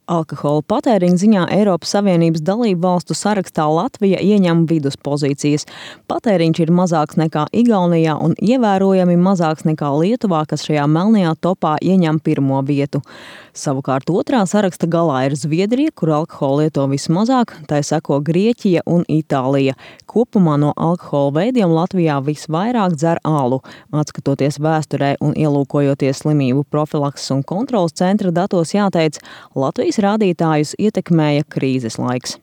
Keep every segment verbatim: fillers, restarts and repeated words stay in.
Alkohola patēriņa ziņā Eiropas Savienības dalību valstu sarakstā Latvija ieņem viduspozīcijas. Patēriņš ir mazāks nekā Igaunijā un ievērojami mazāks nekā Lietuvā, kas šajā melnajā topā ieņem pirmo vietu. Savukārt otrā saraksta galā ir Zviedrija, kur alkohola lieto vismazāk, tai seko Grieķija un Itālija. Kopumā no alkohola veidiem Latvijā visvairāk dzer alu. Atskatoties vēsturē un ielūkojoties slimību profilakses un kontroles centra datos, jāteic, Latvijas rādītājus ietekmēja krīzes laiks.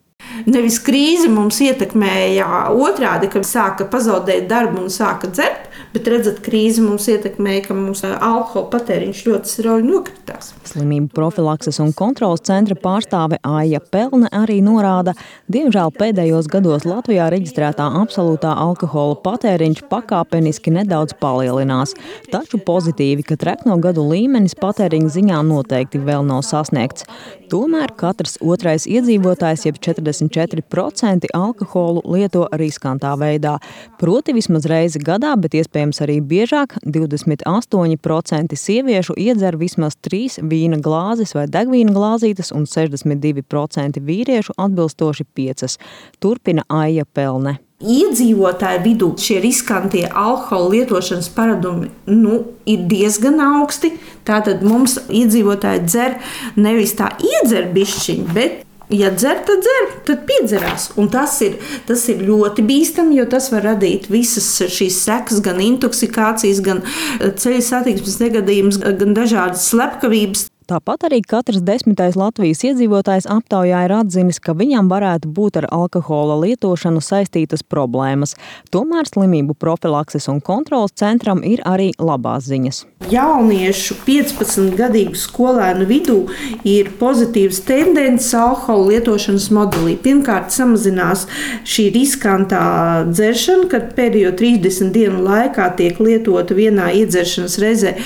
Nevis krīze mums ietekmēja otrādi, ka sāka pazaudēt darbu un sāka dzert, bet redzat, krīze mums ietekmēja, ka mums alkohola patēriņš ļoti strauji nokritās. Slimību profilakses un kontroles centra pārstāve Aija Pelne arī norāda, diemžēl pēdējos gados Latvijā reģistrētā absolūtā alkohola patēriņš pakāpeniski nedaudz palielinās. Taču pozitīvi, ka trekno gadu līmenis patēriņa ziņā noteikti vēl nav sasniegts. Tomēr katrs otrais iedzīvotājs, jeb četrdesmit četri procenti alkoholu lieto riskantā veidā. Proti vismaz reizi gadā, bet iespējams arī biežāk, divdesmit astoņi procenti sieviešu iedzer vismaz trīs vīna glāzes vai degvīna glāzītes un sešdesmit divi procenti vīriešu atbilstoši piecas. Turpina Aija Pelne. Iedzīvotāju vidū šie riskantie alkohola lietošanas paradumi nu, ir diezgan augsti. Tātad mums iedzīvotāji dzer nevis tā iedzer bišķiņu, bet ja dzer, tad dzer, tad piedzerās. Un tas ir, tas ir ļoti bīstami, jo tas var radīt visas šīs sekas, gan intoksikācijas, gan ceļu satiksmes negadījumus, gan dažādas slepkavības. Tāpat arī katrs desmitais Latvijas iedzīvotājs aptaujā ir atzinis, ka viņam varētu būt ar alkohola lietošanu saistītas problēmas. Tomēr slimību profilakses un kontroles centram ir arī labās ziņas. Jauniešu piecpadsmitgadīgu skolēnu vidū ir pozitīvas tendences alkohola lietošanas modelī. Pirmkārt, samazinās šī riskantā dzeršana, kad pēdējo trīsdesmit dienu laikā tiek lietota vienā iedzeršanas reizē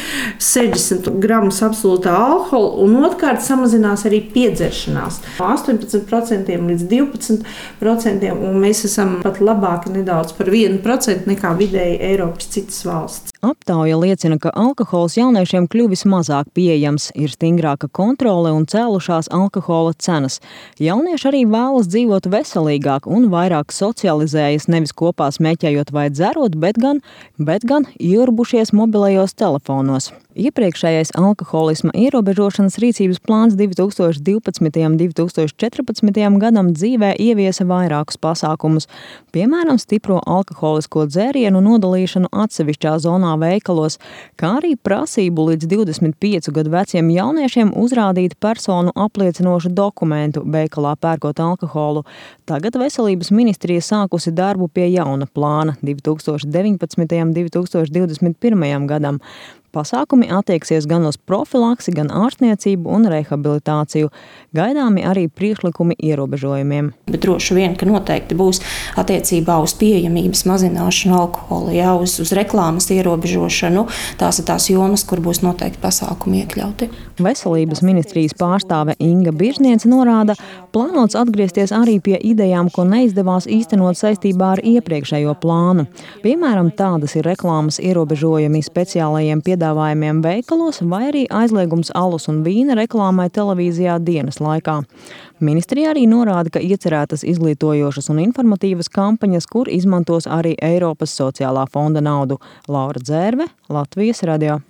sešdesmit gramus absolūtā alkohola. Un otrkārt samazinās arī piedzeršanās no astoņpadsmit procentiem līdz divpadsmit procentiem, un mēs esam pat labāki nedaudz par vienu procentu nekā vidēji Eiropas citas valsts. Aptauja liecina, ka alkohols jauniešiem kļuvis mazāk pieejams, ir stingrāka kontrole un cēlušās alkohola cenas. Jaunieši arī vēlas dzīvot veselīgāk un vairāk socializējas, nevis kopā smēķējot vai dzerot, bet gan, bet gan ieurbušies mobilajos telefonos. Iepriekšējais alkoholisma ierobežošanas rīcības plāns divi tūkstoši divpadsmitajam un divi tūkstoši četrpadsmitajam gadam dzīvē ieviesa vairākus pasākumus, piemēram, stipro alkoholisko dzērienu nodalīšanu atsevišķā zonā veikalos, kā arī prasību līdz divdesmit piecu gadu veciem jauniešiem uzrādīt personu apliecinošu dokumentu veikalā pērkot alkoholu. Tagad Veselības ministrija sākusi darbu pie jauna plāna divi tūkstoši deviņpadsmitajam un divi tūkstoši divdesmit pirmajam gadam. Pasākumi attieksies gan uz profilaksi, gan ārstniecību un rehabilitāciju. Gaidāmi arī priekšlikumi ierobežojumiem. Bet droši vien, ka noteikti būs attiecībā uz pieejamības mazināšanu alkohola, jā, uz, uz reklāmas ierobežošanu. Tās ir tās jomas, kur būs noteikti pasākumi iekļauti. Veselības ministrijas pārstāve Inga Biržniece norāda, plānots atgriezties arī pie idejām, ko neizdevās īstenot saistībā ar iepriekšējo plānu. Piemēram, tādas ir reklāmas ierobežojumi speciālajiem piedāvājumiem veikalos vai arī aizliegums alus un vīna reklāmai televīzijā dienas laikā. Ministrija arī norāda, ka iecerētas izglītojošas un informatīvas kampaņas, kur izmantos arī Eiropas sociālā fonda naudu. Laura Dzērve, Latvijas radio.